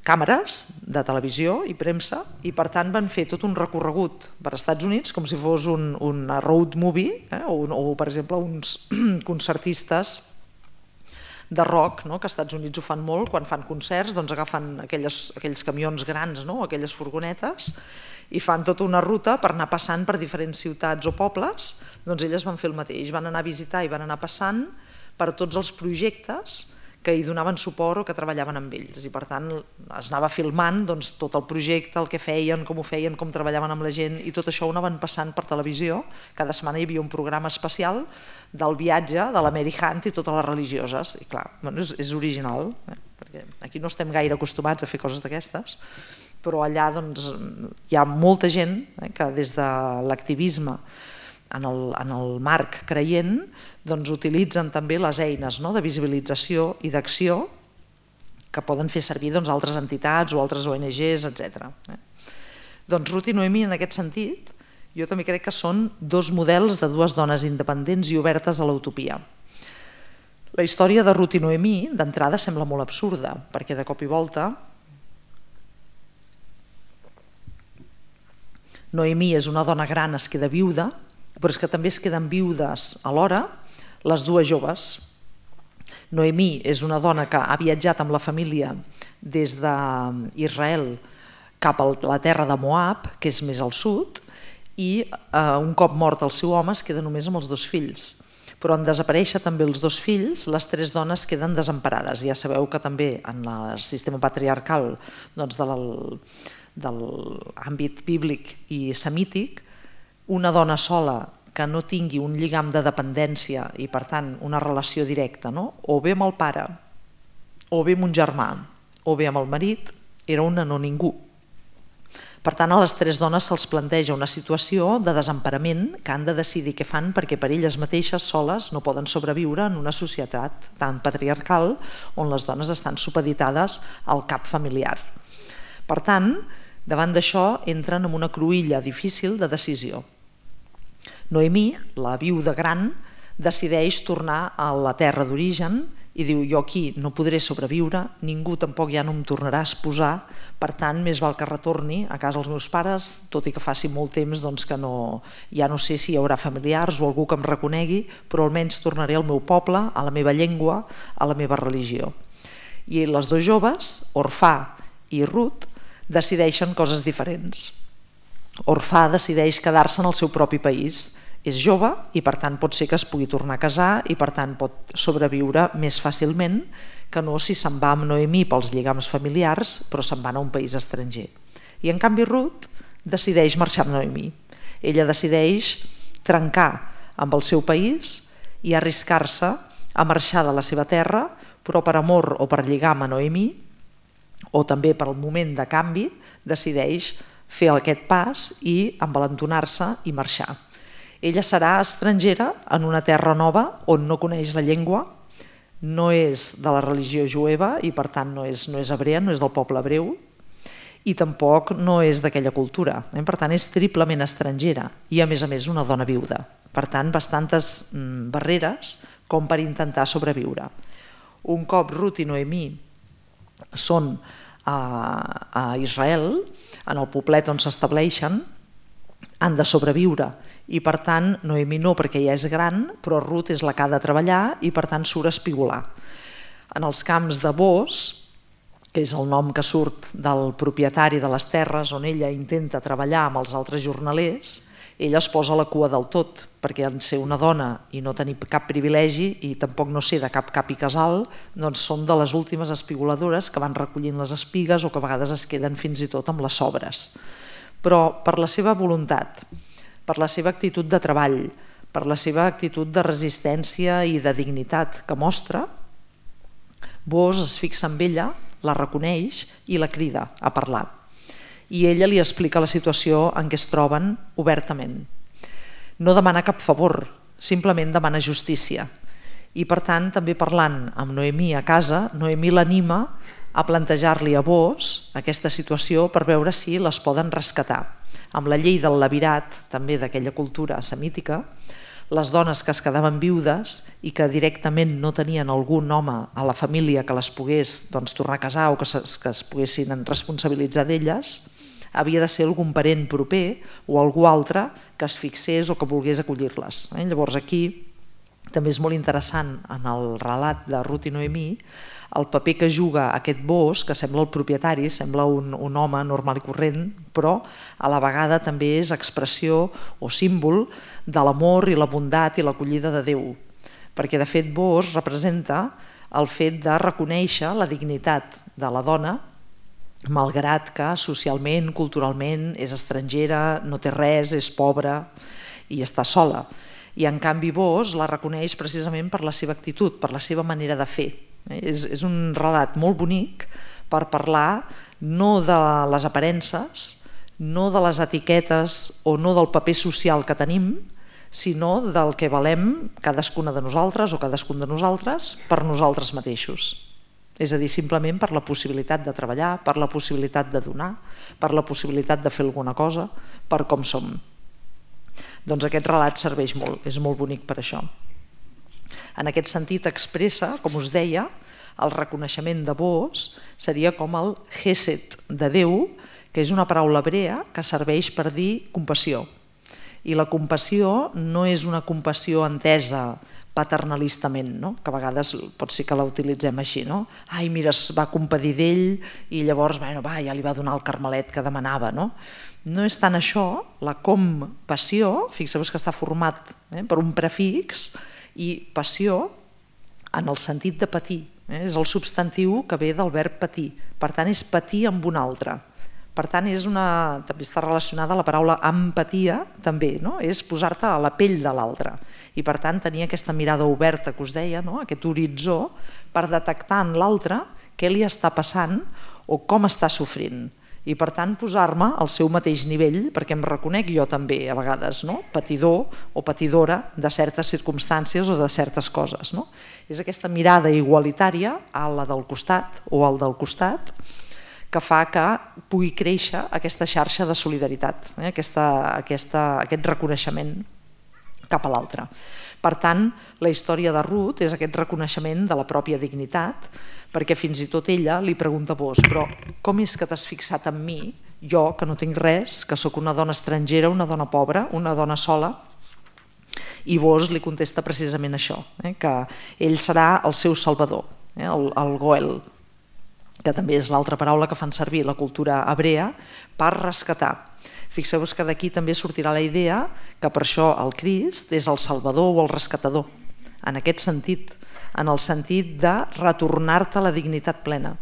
càmeres de televisió i premsa i per tant van fer tot un recorregut per als Estats Units com si fos un road movie o per exemple uns concertistes de rock, que als Estats Units ho fan molt, quan fan concerts agafen aquells camions grans, aquelles furgonetes, i fan tota una ruta per anar passant per diferents ciutats o pobles. Doncs elles van fer el mateix, van anar a visitar i van anar passant per tots els projectes que hi donaven suport o que treballaven amb ells, i per tant es anava filmant tot el projecte, el que feien, com ho feien, com treballaven amb la gent, i tot això ho anaven passant per televisió. Cada setmana hi havia un programa especial del viatge de la Mary Hunt i totes les religioses, i clar, és original, perquè aquí no estem gaire acostumats a fer coses d'aquestes, però allà hi ha molta gent que des de l'activisme en el marc creient utilitzen també les eines de visibilització i d'acció que poden fer servir altres entitats o altres ONGs, etc. Doncs Ruth i Noemí, en aquest sentit, jo també crec que són dos models de dues dones independents i obertes a l'utopia. La història de Ruth i Noemí, d'entrada, sembla molt absurda, perquè de cop i volta Noemí és una dona gran, es queda viuda, però és que també es queden viudes alhora les dues joves. Noemí és una dona que ha viatjat amb la família des d'Israel cap a la terra de Moab, que és més al sud, i un cop mort el seu home es queda només amb els dos fills. Però en desaparèixer també els dos fills, les tres dones queden desemparades. Ja sabeu que també en el sistema patriarcal de l'àmbit bíblic i semític, una dona sola que no tingui un lligam de dependència i per tant una relació directa, o bé amb el pare, o bé amb un germà, o bé amb el marit, era una no ningú. Per tant, a les tres dones se'ls planteja una situació de desemparament que han de decidir què fan perquè per elles mateixes soles no poden sobreviure en una societat tan patriarcal on les dones estan supeditades al cap familiar. Per tant, Davant d'això entren en una cruïlla difícil de decisió. Noemí, la viuda gran, decideix tornar a la terra d'origen i diu: jo aquí no podré sobreviure, ningú tampoc ja no em tornarà a esposar, per tant més val que retorni a casa dels meus pares, tot i que faci molt temps que ja no sé si hi haurà familiars o algú que em reconegui, però almenys tornaré al meu poble, a la meva llengua, a la meva religió. I les dos joves, Orfà i Rut, decideixen coses diferents. Orfà decideix quedar-se en el seu propi país. És jove i per tant pot ser que es pugui tornar a casar i per tant pot sobreviure més fàcilment que no si se'n va amb Noemí pels lligams familiars però se'n va a un país estranger. I en canvi Rut decideix marxar amb Noemí. Ella decideix trencar amb el seu país i arriscar-se a marxar de la seva terra, però per amor o per lligam a Noemí o també per el moment de canvi decideix fer aquest pas i envalentonar-se i marxar. Ella serà estrangera en una terra nova on no coneix la llengua, no és de la religió jueva i per tant no és hebrea, no és del poble hebreu i tampoc no és d'aquella cultura. Per tant és triplement estrangera i a més una dona viuda. Per tant, bastantes barreres com per intentar sobreviure. Un cop Rut i Noemí són a Israel, en el poblet on s'estableixen, han de sobreviure i per tant Noemí no perquè ja és gran però Rut és la que ha de treballar i per tant surt a espigolar. En els camps de Bos, que és el nom que surt del propietari de les terres on ella intenta treballar amb els altres jornalers, ella es posa a la cua del tot perquè en ser una dona i no tenir cap privilegi i tampoc no ser de cap i casal, doncs són de les últimes espigoladores que van recollint les espigues o que a vegades es queden fins i tot amb les sobres. Però per la seva voluntat, per la seva actitud de treball, per la seva actitud de resistència i de dignitat que mostra, Bos es fixa en ella, la reconeix i la crida a parlar. I ella li explica la situació en què es troben obertament. No demana cap favor, simplement demana justícia. I per tant, també parlant amb Noemí a casa, Noemí l'anima a plantejar-li a Bos aquesta situació per veure si les poden rescatar. Amb la llei del levirat, també d'aquella cultura semítica, les dones que es quedaven viudes i que directament no tenien algun home a la família que les pogués tornar a casar o que es poguessin responsabilitzar d'elles, havia de ser algun parent proper o algú altre que es fixés o que volgués acollir-les. Llavors aquí també és molt interessant en el relat de Rut i Noemí el paper que juga aquest Bos, que sembla el propietari, sembla un home normal i corrent, però a la vegada també és expressió o símbol de l'amor i la bondat i l'acollida de Déu. Perquè de fet Bos representa el fet de reconèixer la dignitat de la dona, malgrat que socialment, culturalment és estrangera, no té res, és pobra i està sola. I en canvi Bos la reconeix precisament per la seva actitud, per la seva manera de fer. És un relat molt bonic per parlar no de les aparences, no de les etiquetes o no del paper social que tenim, sinó del que valem cadascuna de nosaltres o cadascun de nosaltres per nosaltres mateixos. És a dir, simplement per la possibilitat de treballar, per la possibilitat de donar, per la possibilitat de fer alguna cosa, per com som. Doncs aquest relat serveix molt, és molt bonic per això. En aquest sentit expressa, com us deia, el reconeixement de Bos seria com el Hesed de Déu, que és una paraula hebrea que serveix per dir compassió. I la compassió no és una compassió entesa paternalistament, que a vegades pot ser que la utilitzem així. Ai, mira, es va compadir d'ell i llavors ja li va donar el carmelet que demanava. No és tant això, la compassió, fixeu-vos que està format per un prefix, i passió en el sentit de patir. És el substantiu que ve del verb patir. Per tant, és patir amb un altre. Per tant, també està relacionada a la paraula empatia, també, és posar-te a la pell de l'altre. I per tant, tenir aquesta mirada oberta que us deia, aquest horitzó, per detectar en l'altre què li està passant o com està sofrint. I per tant posar-me al seu mateix nivell, perquè em reconec jo també a vegades patidor o patidora de certes circumstàncies o de certes coses. És aquesta mirada igualitària a la del costat o al del costat que fa que pugui créixer aquesta xarxa de solidaritat, aquest reconeixement cap a l'altre. Per tant, la història de Ruth és aquest reconeixement de la pròpia dignitat, perquè fins i tot ella li pregunta a vos, però com és que t'has fixat en mi, jo que no tinc res, que sóc una dona estrangera, una dona pobra, una dona sola? I vos li contesta precisament això, que ell serà el seu salvador, el Goel, que també és l'altra paraula que fan servir la cultura hebrea per rescatar. Fixeu-vos que d'aquí també sortirà la idea que per això el Crist és el salvador o el rescatador, en aquest sentit, en el sentit de retornar-te a la dignitat plena,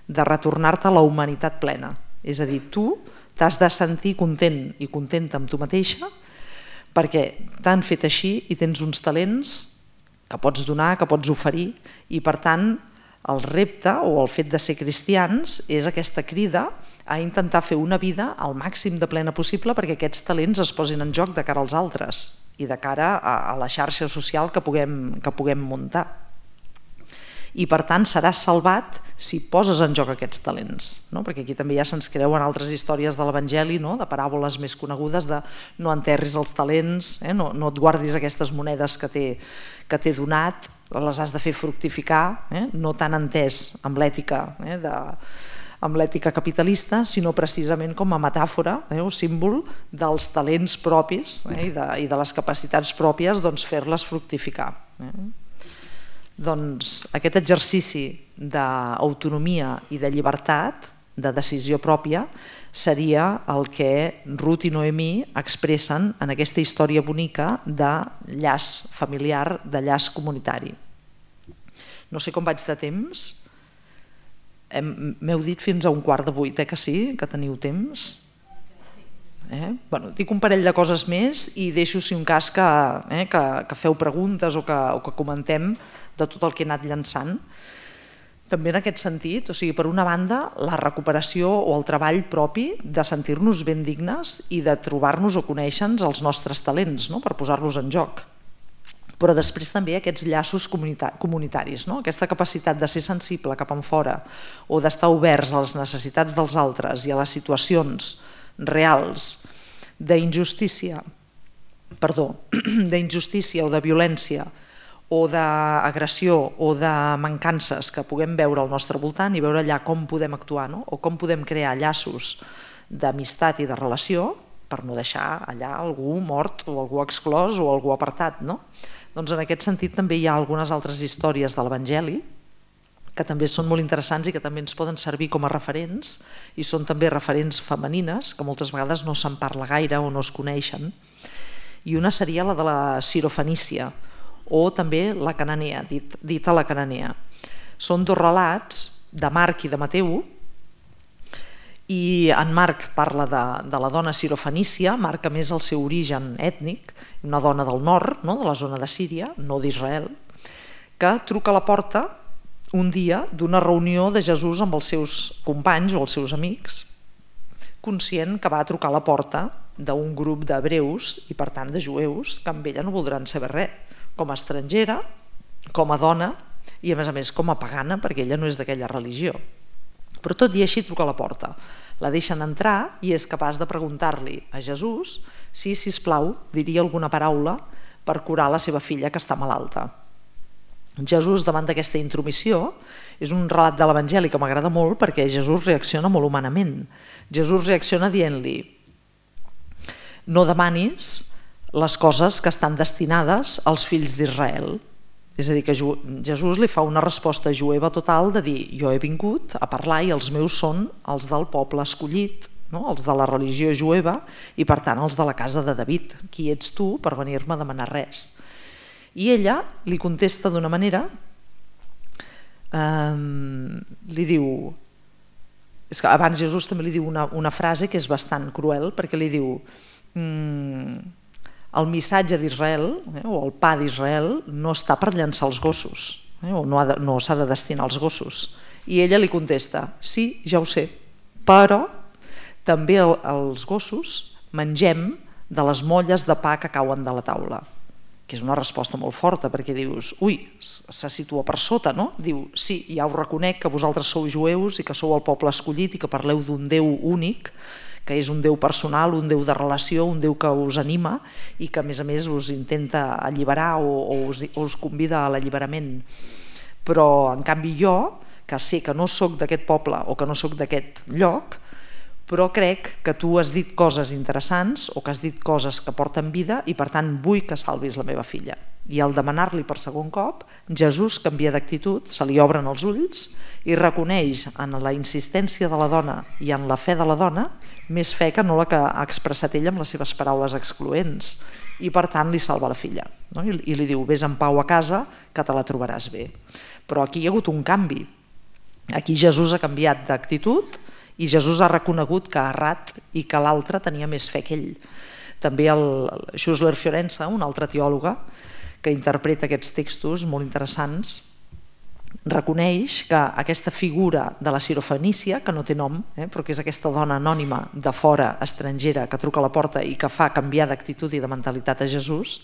de retornar-te a la humanitat plena. És a dir, tu t'has de sentir content i contenta amb tu mateixa perquè t'han fet així i tens uns talents que pots donar, que pots oferir, i per tant el repte o el fet de ser cristians és aquesta crida a intentar fer una vida al màxim de plena possible perquè aquests talents es posin en joc de cara als altres i de cara a la xarxa social que puguem muntar. I per tant seràs salvat si poses en joc aquests talents, perquè aquí també ja se'ns creuen altres històries de l'Evangeli, de paràboles més conegudes de no enterris els talents, no et guardis aquestes monedes que t'he donat, les has de fer fructificar, no tan entès amb l'ètica capitalista, sinó precisament com a metàfora o símbol dels talents propis i de les capacitats pròpies, fer-les fructificar. Doncs aquest exercici d'autonomia i de llibertat, de decisió pròpia, seria el que Ruth i Noemí expressen en aquesta història bonica de llaç familiar, de llaç comunitari. No sé com vaig de temps. M'heu dit fins a 7:15, que sí, que teniu temps? Dic un parell de coses més i deixo, si un cas, que feu preguntes o que comentem de tot el que he anat llançant. També en aquest sentit, per una banda, la recuperació o el treball propi de sentir-nos ben dignes i de trobar-nos o conèixer-nos els nostres talents per posar-los en joc. Però després també aquests llaços comunitaris, aquesta capacitat de ser sensible cap enfora o d'estar oberts a les necessitats dels altres i a les situacions reals d'injustícia o de violència o d'agressió o de mancances que puguem veure al nostre voltant i veure allà com podem actuar o com podem crear llaços d'amistat i de relació per no deixar allà algú mort o algú exclòs o algú apartat. Doncs en aquest sentit també hi ha algunes altres històries de l'Evangeli que també són molt interessants i que també ens poden servir com a referents i són també referents femenines que moltes vegades no se'n parla gaire o no es coneixen. I una seria la de la Sirofenícia o també la Cananea, dita la Cananea. Són dos relats de Marc i de Mateu i en Marc parla de la dona sirofenícia, marca més el seu origen ètnic, una dona del nord, de la zona de Síria, no d'Israel, que truca a la porta un dia d'una reunió de Jesús amb els seus companys o els seus amics, conscient que va a trucar a la porta d'un grup d'hebreus i per tant de jueus que amb ella no voldran saber res, com a estrangera, com a dona i a més com a pagana perquè ella no és d'aquella religió. Però tot i així truca a la porta, la deixen entrar i és capaç de preguntar-li a Jesús si, sisplau, diria alguna paraula per curar la seva filla que està malalta. Jesús, davant d'aquesta intromissió, és un relat de l'Evangeli que m'agrada molt perquè Jesús reacciona molt humanament. Jesús reacciona dient-li: no demanis les coses que estan destinades als fills d'Israel. És a dir, que Jesús li fa una resposta jueva total de dir: jo he vingut a parlar i els meus són els del poble escollit, els de la religió jueva i per tant els de la casa de David. Qui ets tu per venir-me a demanar res? I ella li contesta d'una manera, li diu, és que abans Jesús també li diu una frase que és bastant cruel perquè li diu: el missatge d'Israel o el pa d'Israel no està per llançar els gossos o no s'ha de destinar als gossos. I ella li contesta: sí, ja ho sé, però també els gossos mengem de les molles de pa que cauen de la taula. que és una resposta molt forta, perquè dius, ui, se situa per sota, no? Diu, sí, ja ho reconec que vosaltres sou jueus i que sou el poble escollit i que parleu d'un Déu únic, que és un Déu personal, un Déu de relació, un Déu que us anima i que a més us intenta alliberar o us convida a l'alliberament. Però en canvi jo, que sé que no sóc d'aquest poble o que no sóc d'aquest lloc, però crec que tu has dit coses interessants o que has dit coses que porten vida i per tant vull que salvis la meva filla. I al demanar-li per segon cop, Jesús canvia d'actitud, se li obren els ulls i reconeix en la insistència de la dona i en la fe de la dona més fe que no la que ha expressat ella amb les seves paraules excloents, i per tant li salva la filla, no? I li diu, vés en pau a casa que te la trobaràs bé. Però aquí hi ha hagut un canvi. Aquí Jesús ha canviat d'actitud i Jesús ha reconegut que ha errat i que l'altre tenia més fe que ell. També el Schussler Fiorenza, un altre teòloga que interpreta aquests textos molt interessants, reconeix que aquesta figura de la sirofenícia, que no té nom, però que és aquesta dona anònima de fora, estrangera, que truca a la porta i que fa canviar d'actitud i de mentalitat a Jesús,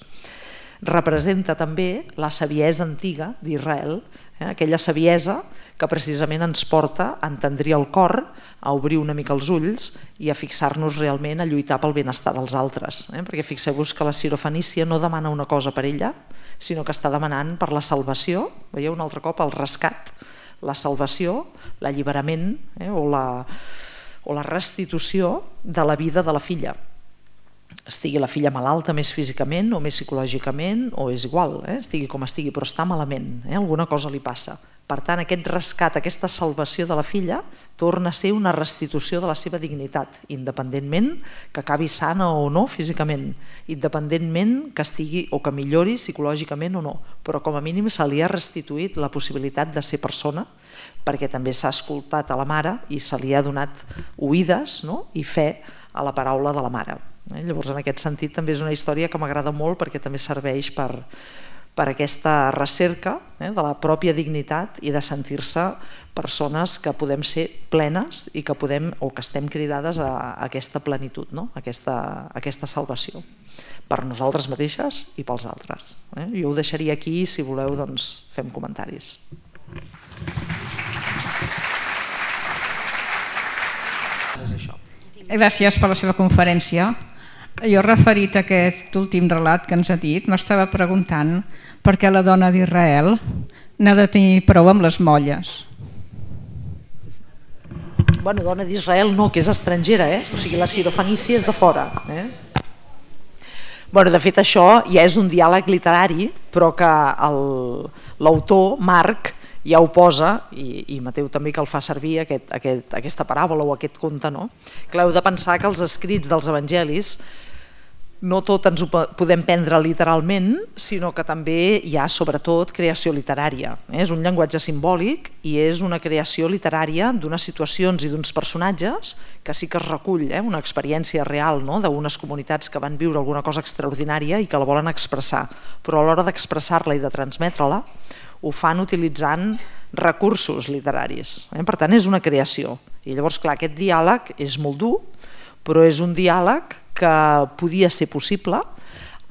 representa també la saviesa antiga d'Israel, aquella saviesa que precisament ens porta a entendrir el cor, a obrir una mica els ulls i a fixar-nos realment a lluitar pel benestar dels altres. Perquè fixeu-vos que la sirofenícia no demana una cosa per ella, sinó que està demanant per la salvació, veieu un altre cop el rescat, la salvació, l'alliberament o la restitució de la vida de la filla. Estigui la filla malalta més físicament o més psicològicament, o és igual, estigui com estigui, però està malament, alguna cosa li passa. Per tant, aquest rescat, aquesta salvació de la filla torna a ser una restitució de la seva dignitat, independentment que acabi sana o no físicament, independentment que estigui o que millori psicològicament o no, però com a mínim se li ha restituït la possibilitat de ser persona, perquè també s'ha escoltat a la mare i se li ha donat oïdes i fe a la paraula de la mare. Llavors, en aquest sentit, també és una història que m'agrada molt perquè també serveix per aquesta recerca de la pròpia dignitat i de sentir-se persones que podem ser plenes i que podem o que estem cridades a aquesta plenitud, a aquesta salvació, per nosaltres mateixes i pels altres. Jo ho deixaria aquí i si voleu doncs fem comentaris. Gràcies per la seva conferència. Jo, referit a aquest últim relat que ens ha dit, m'estava preguntant per què la dona d'Israel n'ha de tenir prou amb les molles. Bueno, dona d'Israel no, que és estrangera, o sigui, la sirofenícia és de fora. Bueno, de fet, això ja és un diàleg literari, però que l'autor, Marc, ja ho posa, i Mateu també que el fa servir, aquesta paràbola o aquest conte, no? Clar, heu de pensar que els escrits dels evangelis no tot ens ho podem prendre literalment, sinó que també hi ha sobretot creació literària. És un llenguatge simbòlic i és una creació literària d'unes situacions i d'uns personatges que sí que es recull una experiència real d'unes comunitats que van viure alguna cosa extraordinària i que la volen expressar, però a l'hora d'expressar-la i de transmetre-la ho fan utilitzant recursos literaris. Per tant, és una creació. I llavors, clar, aquest diàleg és molt dur, però és un diàleg que podia ser possible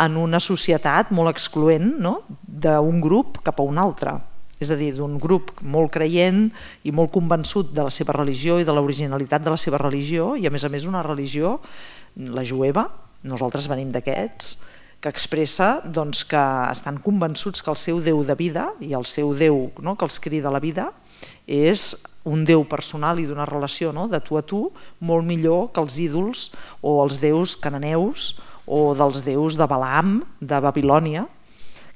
en una societat molt excloent d'un grup cap a un altre. És a dir, d'un grup molt creient i molt convençut de la seva religió i de l'originalitat de la seva religió, i a més una religió, la jueva, nosaltres venim d'aquests, que expressa que estan convençuts que el seu Déu de vida i el seu Déu que els crida a la vida és un Déu personal i d'una relació de tu a tu molt millor que els ídols o els déus cananeus o dels déus de Balaam, de Babilònia,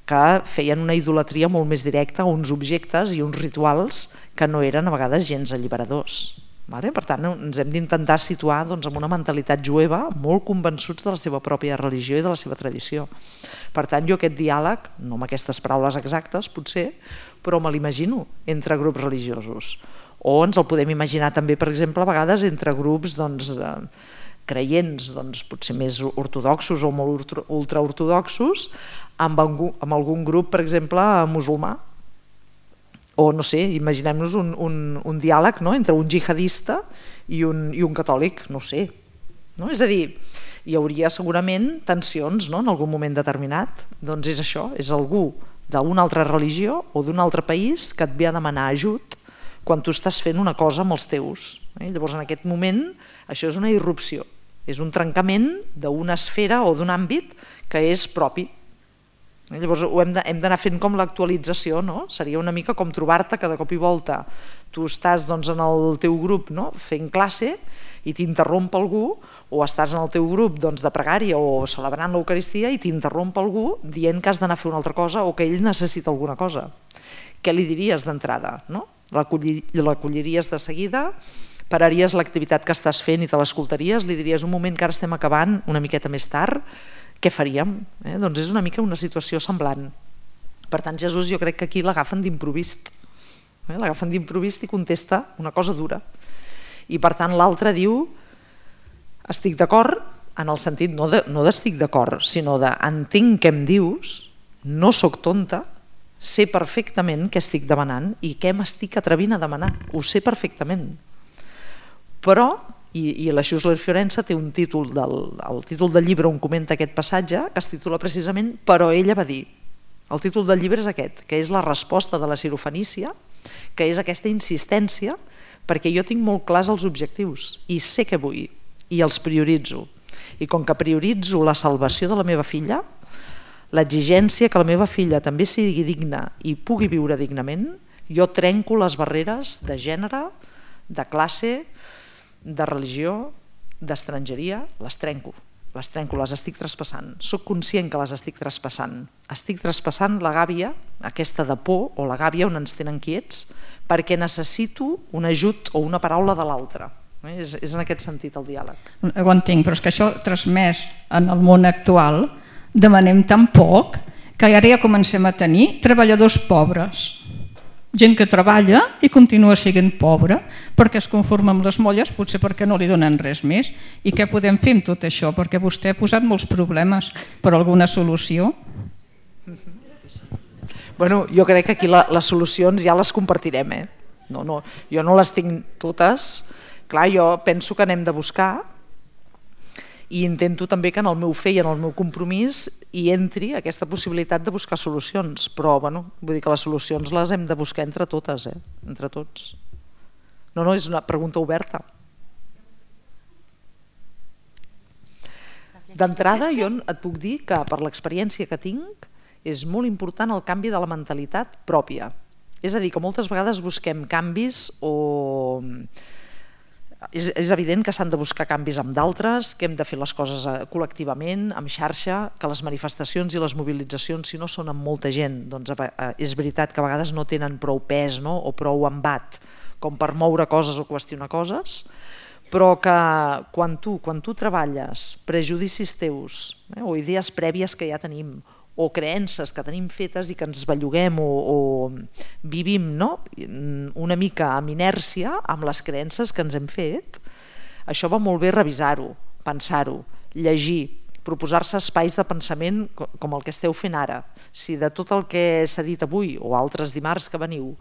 que feien una idolatria molt més directa a uns objectes i uns rituals que no eren a vegades gens alliberadors. Per tant, ens hem d'intentar situar en una mentalitat jueva molt convençuts de la seva pròpia religió i de la seva tradició. Per tant, jo aquest diàleg, no amb aquestes paraules exactes potser, però me l'imagino entre grups religiosos. O ens el podem imaginar també, per exemple, a vegades entre grups creients, potser més ortodoxos o molt ultraortodoxos, amb algun grup, per exemple, musulmà. O, no sé, imaginem-nos un diàleg entre un jihadista i un catòlic, no sé. És a dir, hi hauria segurament tensions, no?, en algun moment determinat. Doncs és això, és algú d'una altra religió o d'un altre país que et ve a demanar ajut quan tu estàs fent una cosa amb els teus. Llavors, en aquest moment, això és una irrupció, és un trencament d'una esfera o d'un àmbit que és propi. Llavors hem d'anar fent com l'actualització, no? Seria una mica com trobar-te que de cop i volta tu estàs en el teu grup fent classe i t'interromp algú, o estàs en el teu grup de pregària o celebrant l'Eucaristia i t'interromp algú dient que has d'anar a fer una altra cosa o que ell necessita alguna cosa. Què li diries d'entrada? L'acolliries de seguida, pararies l'activitat que estàs fent i te l'escoltaries, li diries un moment que ara estem acabant una miqueta més tard, què faríem? Doncs és una mica una situació semblant. Per tant, Jesús jo crec que aquí l'agafen d'imprevist. L'agafen d'imprevist i contesta una cosa dura. I per tant l'altre diu, estic d'acord, en el sentit no d'estic d'acord, sinó d'entenc què em dius, no sóc tonta, sé perfectament què estic demanant i què m'estic atrevint a demanar, ho sé perfectament. Però, i la Schussler Fiorenza té un títol, el títol del llibre on comenta aquest passatge, que es titula precisament Però ella va dir. El títol del llibre és aquest, que és la resposta de la Sirofenícia, que és aquesta insistència, perquè jo tinc molt clars els objectius i sé què vull i els prioritzo. I com que prioritzo la salvació de la meva filla, l'exigència que la meva filla també sigui digna i pugui viure dignament, jo trenco les barreres de gènere, de classe, de religió, d'estrangeria, les trenco, les estic traspassant. Soc conscient que les estic traspassant. Estic traspassant la gàbia, aquesta de por o la gàbia on ens tenen quiets, perquè necessito un ajut o una paraula de l'altre. És en aquest sentit el diàleg. Ho entenc, però és que això transmès en el món actual demanem tan poc que ara ja comencem a tenir treballadors pobres. Gent que treballa i continua sent pobra perquè es conforma amb les molles, potser perquè no li donen res més. I què podem fer amb tot això? Perquè vostè ha posat molts problemes, però alguna solució? Bueno, jo crec que aquí les solucions ja les compartirem. Jo no les tinc totes. Clar, jo penso que n'hem de buscar i intento també que en el meu fer i en el meu compromís hi entri aquesta possibilitat de buscar solucions, però vull dir que les solucions les hem de buscar entre totes, entre tots. No, és una pregunta oberta. D'entrada jo et puc dir que per l'experiència que tinc és molt important el canvi de la mentalitat pròpia. És a dir, que moltes vegades busquem canvis o... És evident que s'han de buscar canvis amb d'altres, que hem de fer les coses col·lectivament, amb xarxa, que les manifestacions i les mobilitzacions, si no són amb molta gent, doncs és veritat que a vegades no tenen prou pes o prou embat com per moure coses o qüestionar coses, però que quan tu treballes prejudicis teus o idees prèvies que ja tenim o creences que tenim fetes i que ens belluguem o vivim una mica amb inèrcia amb les creences que ens hem fet, això va molt bé revisar-ho, pensar-ho, llegir, proposar-se espais de pensament com el que esteu fent ara. Si de tot el que s'ha dit avui o altres dimarts que veniu,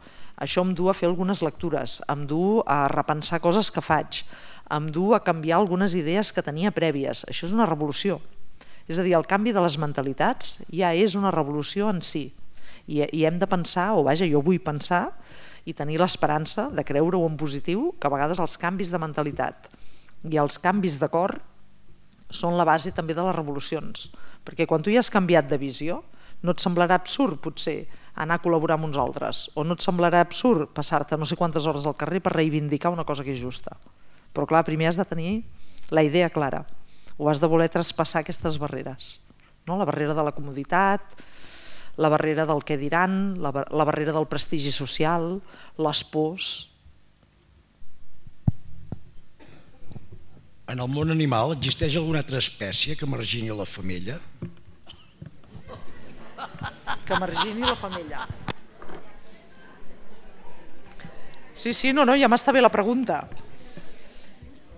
això em du a fer algunes lectures, em du a repensar coses que faig, em du a canviar algunes idees que tenia prèvies. Això és una revolució. És a dir, el canvi de les mentalitats ja és una revolució en si i hem de pensar, o vaja, jo vull pensar i tenir l'esperança de creure-ho en positiu, que a vegades els canvis de mentalitat i els canvis de cor són la base també de les revolucions, perquè quan tu ja has canviat de visió no et semblarà absurd potser anar a col·laborar amb uns altres, o no et semblarà absurd passar-te no sé quantes hores al carrer per reivindicar una cosa que és justa, però clar, primer has de tenir la idea clara o has de voler traspassar aquestes barreres, la barrera de la comoditat, la barrera del què diran, la barrera del prestigi social, les pors. En el món animal existeix alguna altra espècie que margini la femella? Que margini la femella. Sí, no, ja m'està bé la pregunta.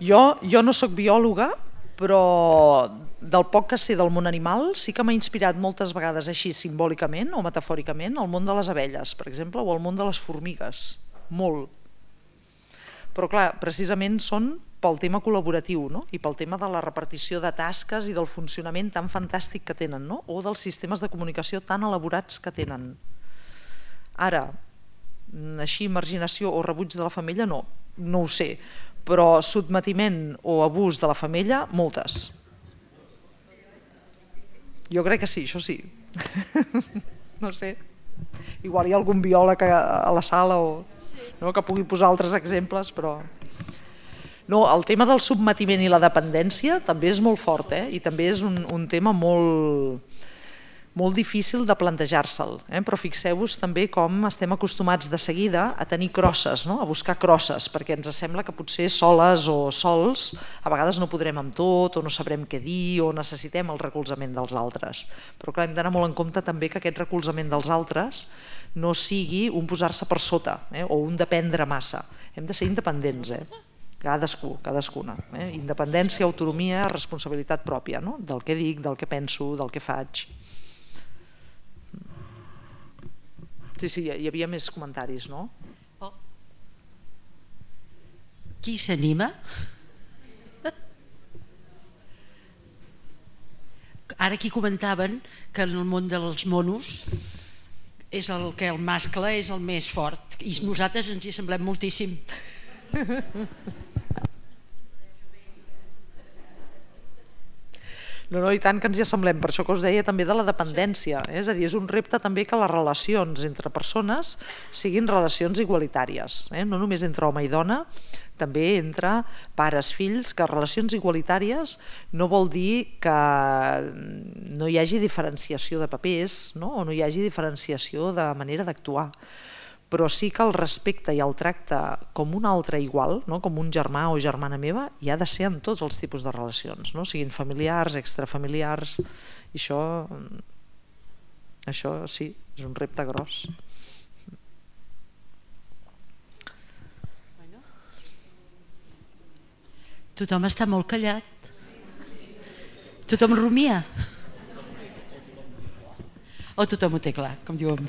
Jo no sóc biòloga, però del poc que sé del món animal sí que m'ha inspirat moltes vegades així simbòlicament o metafòricament el món de les abelles, per exemple, o el món de les formigues, molt. Però clar, precisament són pel tema col·laboratiu, no? I pel tema de la repartició de tasques i del funcionament tan fantàstic que tenen, no? O dels sistemes de comunicació tan elaborats que tenen. Ara, així marginació o rebuig de la femella no ho sé, però sotmetiment o abús de la femella, moltes. Jo crec que sí, això sí. No sé, igual hi ha algun biòleg a la sala que pugui posar altres exemples, però... No, el tema del sotmetiment i la dependència també és molt fort, i també és un tema molt difícil de plantejar-se'l, però fixeu-vos també com estem acostumats de seguida a tenir crosses, a buscar crosses, perquè ens sembla que potser soles o sols a vegades no podrem amb tot, o no sabrem què dir, o necessitem el recolzament dels altres. Però clar, hem d'anar molt en compte també que aquest recolzament dels altres no sigui un posar-se per sota, o un dependre massa. Hem de ser independents, cadascuna. Independència, autonomia, responsabilitat pròpia, del que dic, del que penso, del que faig. Sí, hi havia més comentaris, no? Qui s'anima? Ara aquí comentaven que en el món dels monos és el que el mascle és el més fort i nosaltres ens hi semblem moltíssim. No, i tant que ens hi assemblem, per això que us deia també de la dependència, és a dir, és un repte també que les relacions entre persones siguin relacions igualitàries, no només entre home i dona, també entre pares, fills, que relacions igualitàries no vol dir que no hi hagi diferenciació de papers, o no hi hagi diferenciació de manera d'actuar, però sí que el respecte i el tracte com un altre igual, com un germà o germana meva, hi ha de ser en tots els tipus de relacions, siguin familiars, extrafamiliars, i això sí, és un repte gros. Tothom està molt callat. Tothom rumia. O tothom ho té clar, com diuen.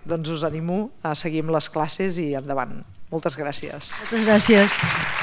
Doncs us animo a seguir amb les classes i endavant. Moltes gràcies. Moltes gràcies.